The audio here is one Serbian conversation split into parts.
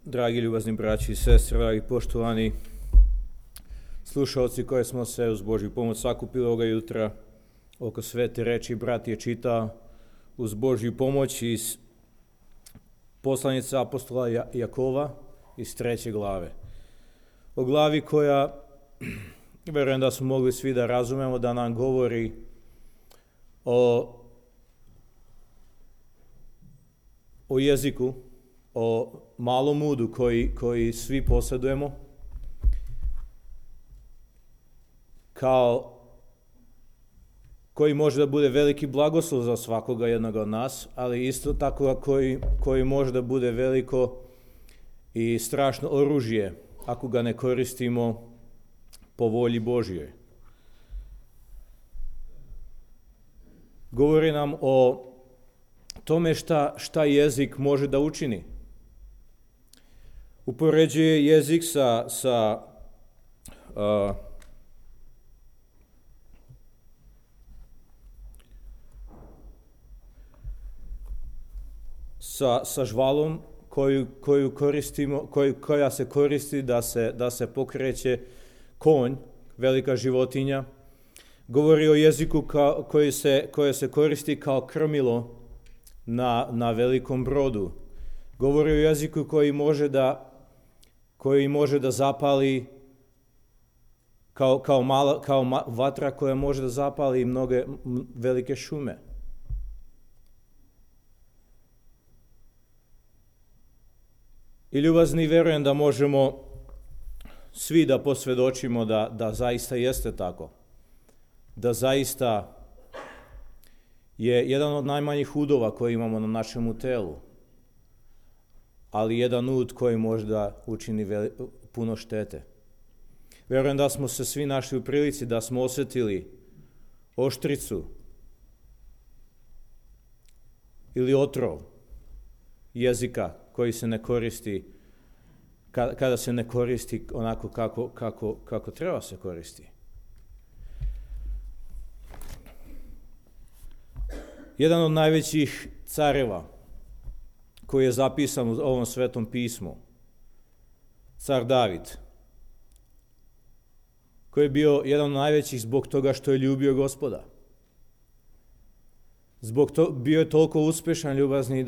Dragi ljubazni braći i sestre, dragi poštovani slušalci koje smo se uz Božju pomoć sakupili ovoga jutra oko svete reči, brat je čitao uz Božju pomoć iz poslanice apostola Jakova iz 3. glave. O glavi koja, verujem da smo mogli svi da razumemo, da nam govori o jeziku, o malom udu koji svi posjedujemo, koji može da bude veliki blagoslov za svakoga jednog od nas, ali isto tako koji može da bude veliko i strašno oružje ako ga ne koristimo po volji Božjoj. Govori nam o tome šta jezik može da učini. Upoređuje jezik sa žvalom koju koristimo, koja se koristi da se pokreće konj, velika životinja. Govori o jeziku koje se koristi kao krmilo na velikom brodu. Govori o jeziku koji može da zapali kao vatra koja može da zapali mnoge velike šume. I ljubazni, verujem da možemo svi da posvjedočimo da zaista jeste tako. Da zaista je jedan od najmanjih udova koji imamo na našemu telu, ali jedan ud koji može da učini puno štete. Verujem da smo se svi našli u prilici da smo osjetili oštricu ili otrov jezika koji se ne koristi, kada se ne koristi onako kako treba se koristi. Jedan od najvećih careva koji je zapisan u ovom svetom pismu, car David, koji je bio jedan od najvećih zbog toga što je ljubio Gospoda. Bio je toliko uspešan, ljubazni,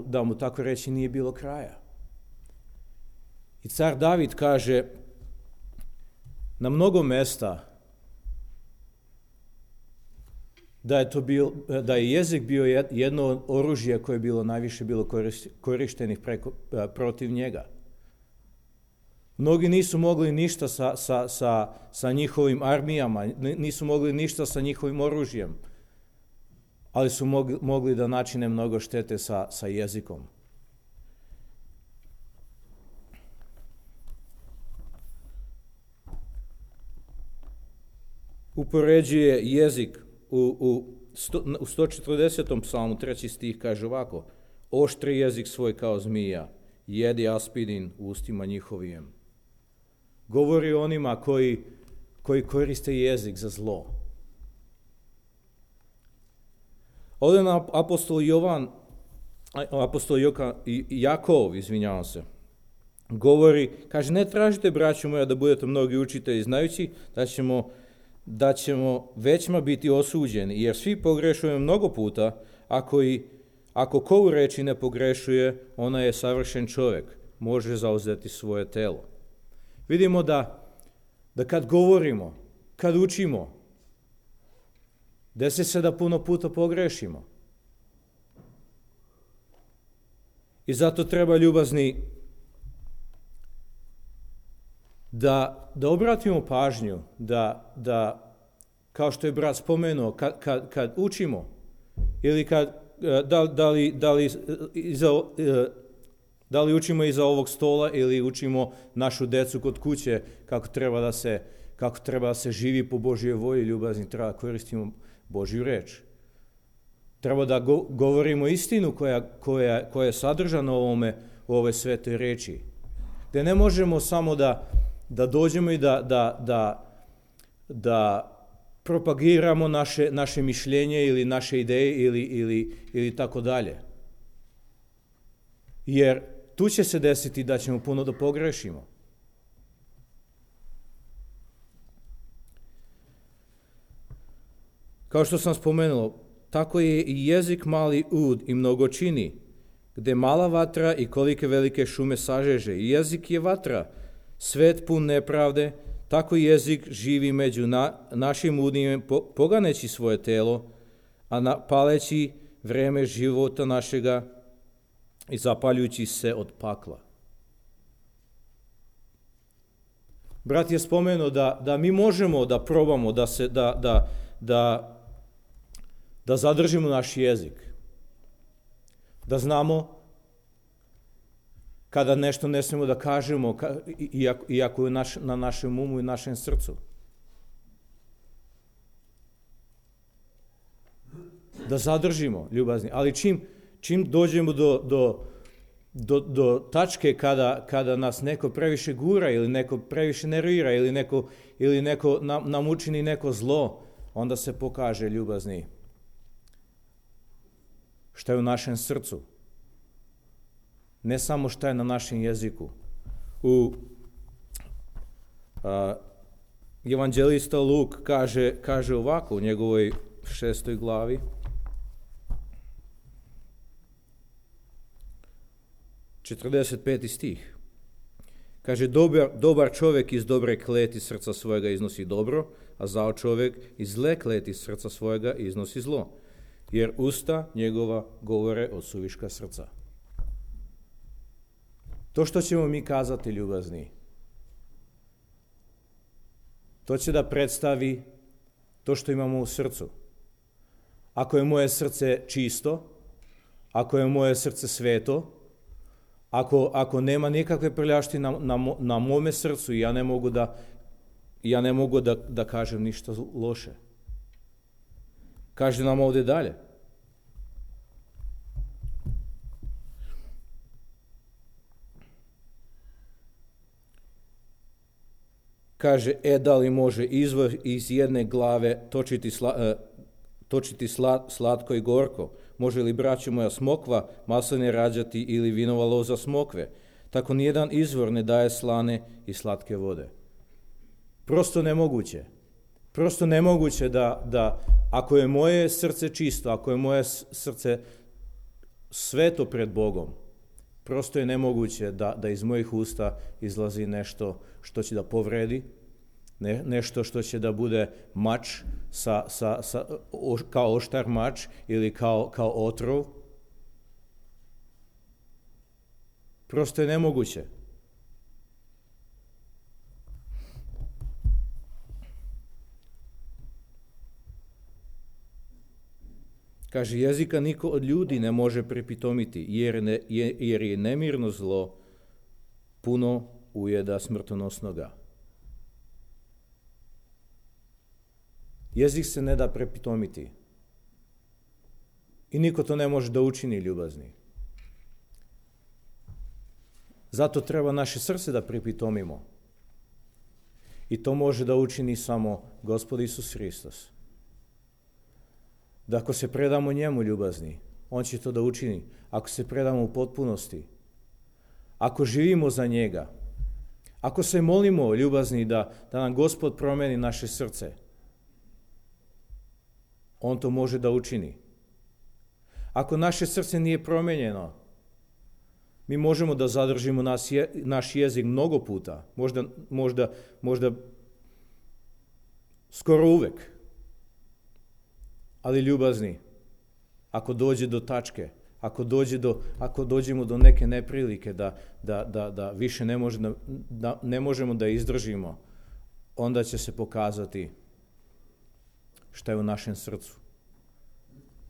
da mu tako reći nije bilo kraja. I car David kaže na mnogo mesta da je jezik bio jedno od oružja koje je bilo najviše korištenih protiv njega. Mnogi nisu mogli ništa sa njihovim armijama, nisu mogli ništa sa njihovim oružjem, ali su mogli da načine mnogo štete sa jezikom. Upoređuje jezik u 140. psalmu 3. stih kaže ovako: oštri jezik svoj kao zmija, jedi aspidin u ustima njihovijem. Govori o onima koji koriste jezik za zlo. Ovdje nam apostol Jakov, govori, kaže, ne tražite, braćo moja, da budete mnogi učitelji znajući da ćemo većma biti osuđeni, jer svi pogrešujemo mnogo puta, ako ko u reči ne pogrešuje, ona je savršen čovjek, može zauzeti svoje telo. Vidimo da kad govorimo, kad učimo, desi se da puno puta pogrešimo. I zato treba, ljubazni, da obratimo pažnju, da kao što je brat spomenuo, kad učimo, ili da li učimo iza ovog stola ili učimo našu decu kod kuće kako treba da se živi po Božjoj volji, ljubazni, treba da koristimo Božju reč. Treba da govorimo istinu koja je sadržana u ove svete reči. Da ne možemo samo da dođemo i da propagiramo naše mišljenje ili naše ideje ili tako dalje. Jer tu će se desiti da ćemo puno da pogrešimo. Kao što sam spomenuo, tako je i jezik mali ud i mnogo čini, gde mala vatra i kolike velike šume sažeže. I jezik je vatra, svet pun nepravde, tako i jezik živi među našim udnima, poganeći svoje telo, a paleći vreme života našega i zapaljujući se od pakla. Brat je spomenuo da mi možemo da probamo da zadržimo naš jezik, da znamo kada nešto ne smemo da kažemo, iako je na našem umu i našem srcu. Da zadržimo, ljubazni. Ali čim dođemo do tačke kada nas neko previše gura ili neko previše nervira ili neko nam učini neko zlo, onda se pokaže, ljubazni, šta je u našem srcu. Ne samo šta je na našem jeziku. Evanđelista Luk kaže ovako u njegovoj 6. glavi. 45. stih. Kaže, dobar čovjek iz dobre kleti srca svojega iznosi dobro, a zao čovjek iz zle kleti srca svojega iznosi zlo. Jer usta njegova govore od suviška srca. To što ćemo mi kazati, ljubazni, to će da predstavi to što imamo u srcu. Ako je moje srce čisto, ako je moje srce sveto, ako nema nikakve prljavštine na mome srcu i ja ne mogu da kažem ništa loše. Kaže nam ovdje dalje. Kaže, da li može izvor iz jedne glave točiti slatko i gorko? Može li, braćo moja, smokva masline rađati ili vinova loza smokve? Tako nijedan izvor ne daje slane i slatke vode. Prosto nemoguće. Prosto nemoguće da ako je moje srce čisto, ako je moje srce sveto pred Bogom, prosto je nemoguće da iz mojih usta izlazi nešto što će da povredi, nešto što će da bude mač kao oštar mač ili kao otrov. Prosto je nemoguće. Kaže, jezika niko od ljudi ne može prepitomiti, jer je nemirno zlo puno ujeda smrtonosnoga. Jezik se ne da prepitomiti. I niko to ne može da učini, ljubazni. Zato treba naše srce da prepitomimo. I to može da učini samo Gospod Isus Hristos. Da ako se predamo njemu, ljubazni, on će to da učini. Ako se predamo u potpunosti, ako živimo za njega, ako se molimo, ljubazni, da nam Gospod promeni naše srce, on to može da učini. Ako naše srce nije promenjeno, mi možemo da zadržimo naš jezik mnogo puta, možda skoro uvek. Ali, ljubazni, ako dođe do tačke, ako dođemo do neke neprilike da više ne možemo da izdržimo, onda će se pokazati šta je u našem srcu.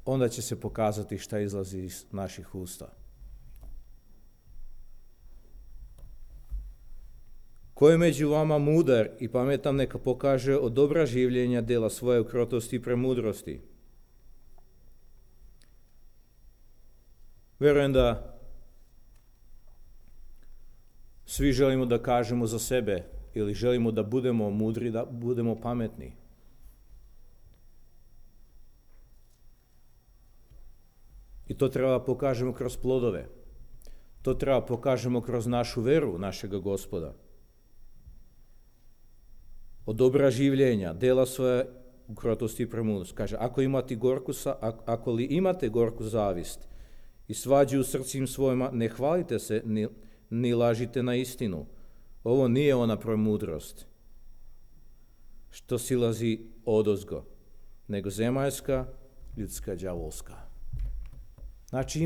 Onda će se pokazati šta izlazi iz naših usta. Ko je među vama mudar i pametan, neka pokaže od dobra življenja dela svoje u krotosti i premudrosti. Verujem da svi želimo da kažemo za sebe ili želimo da budemo mudri, da budemo pametni. I to treba pokažemo kroz plodove. To treba pokažemo kroz našu veru, našega Gospoda. Od dobra življenja, dela svoje u krotosti i premudrosti. Kaže, ako li imate gorku zavist i svađu u srcima svojima, ne hvalite se ni lažite na istinu. Ovo nije ona premudrost što silazi odozgo, nego zemaljska, ljudska, đavolska. Znači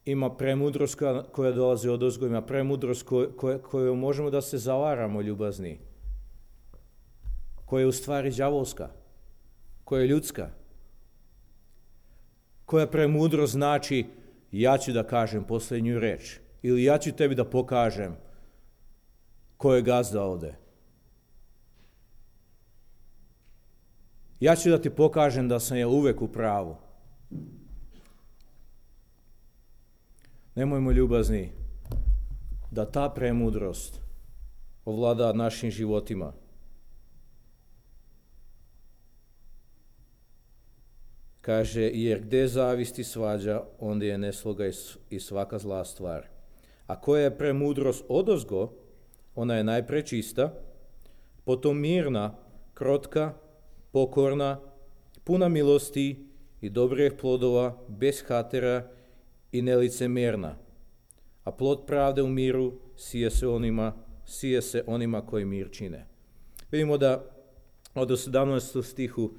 ima premudrost koja dolazi odozgo, ima premudrost koju možemo da se zavaramo, ljubazni, koja je u stvari đavolska, koja je ljudska, koja premudrost znači ja ću da kažem posljednju reč ili ja ću tebi da pokažem ko je gazda ovde. Ja ću da ti pokažem da sam ja uvek u pravu. Nemojmo, ljubazni, da ta premudrost ovlada našim životima. Kaže, jer gde zavisti svađa, onda je nesloga i svaka zla stvar. A koja je premudrost odozgo, ona je najpre čista, potom mirna, krotka, pokorna, puna milosti i dobrih plodova, bez hatera i nelicemerna. A plod pravde u miru sije se onima koji mir čine. Vidimo da od 17. stihu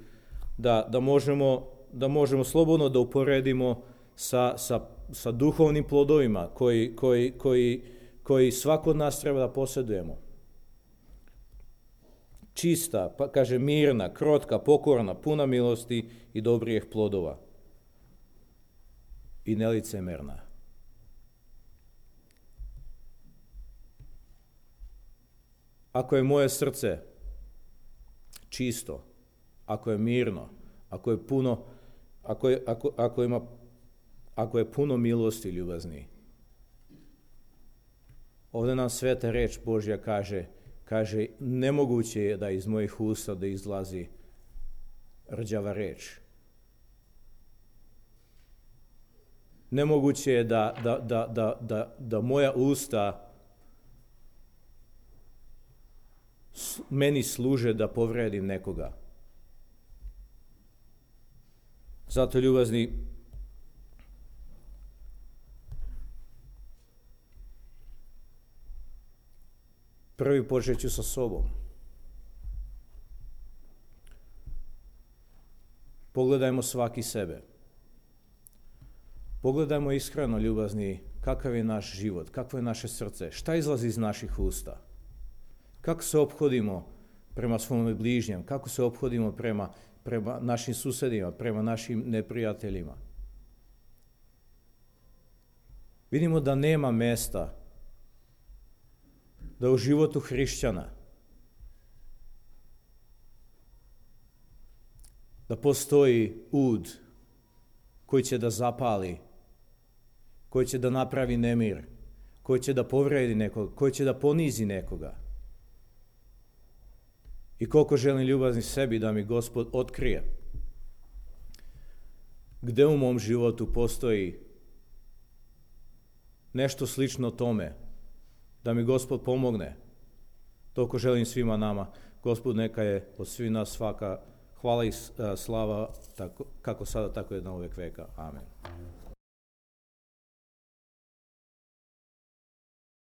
da možemo slobodno da uporedimo sa duhovnim plodovima koji svako od nas treba da posjedujemo. Čista, pa kaže mirna, krotka, pokorna, puna milosti i dobrih plodova. I nelicemerna. Ako je moje srce čisto, ako je mirno, ako je puno, ako je puno milosti, ljubazni, ovdje nam sveta reč Božja kaže, nemoguće je da iz mojih usta da izlazi rđava reč. Nemoguće je da moja usta meni služe da povredim nekoga. Zato, ljubazni, prvi počet ću sa sobom. Pogledajmo svaki sebe. Pogledajmo iskreno, ljubazni, kakav je naš život, kakvo je naše srce, šta izlazi iz naših usta. Kako se ophodimo prema svom bližnjem, kako se ophodimo prema našim susedima, prema našim neprijateljima. Vidimo da nema mesta da u životu hrišćana da postoji ud koji će da zapali, koji će da napravi nemir, koji će da povredi nekoga, koji će da ponizi nekoga. I koliko želim, ljubazni, sebi da mi Gospod otkrije gde u mom životu postoji nešto slično tome, da mi Gospod pomogne. Toliko želim svima nama. Gospod neka je od svih nas svaka hvala i slava, kako sada, tako je na uvek veka. Amen.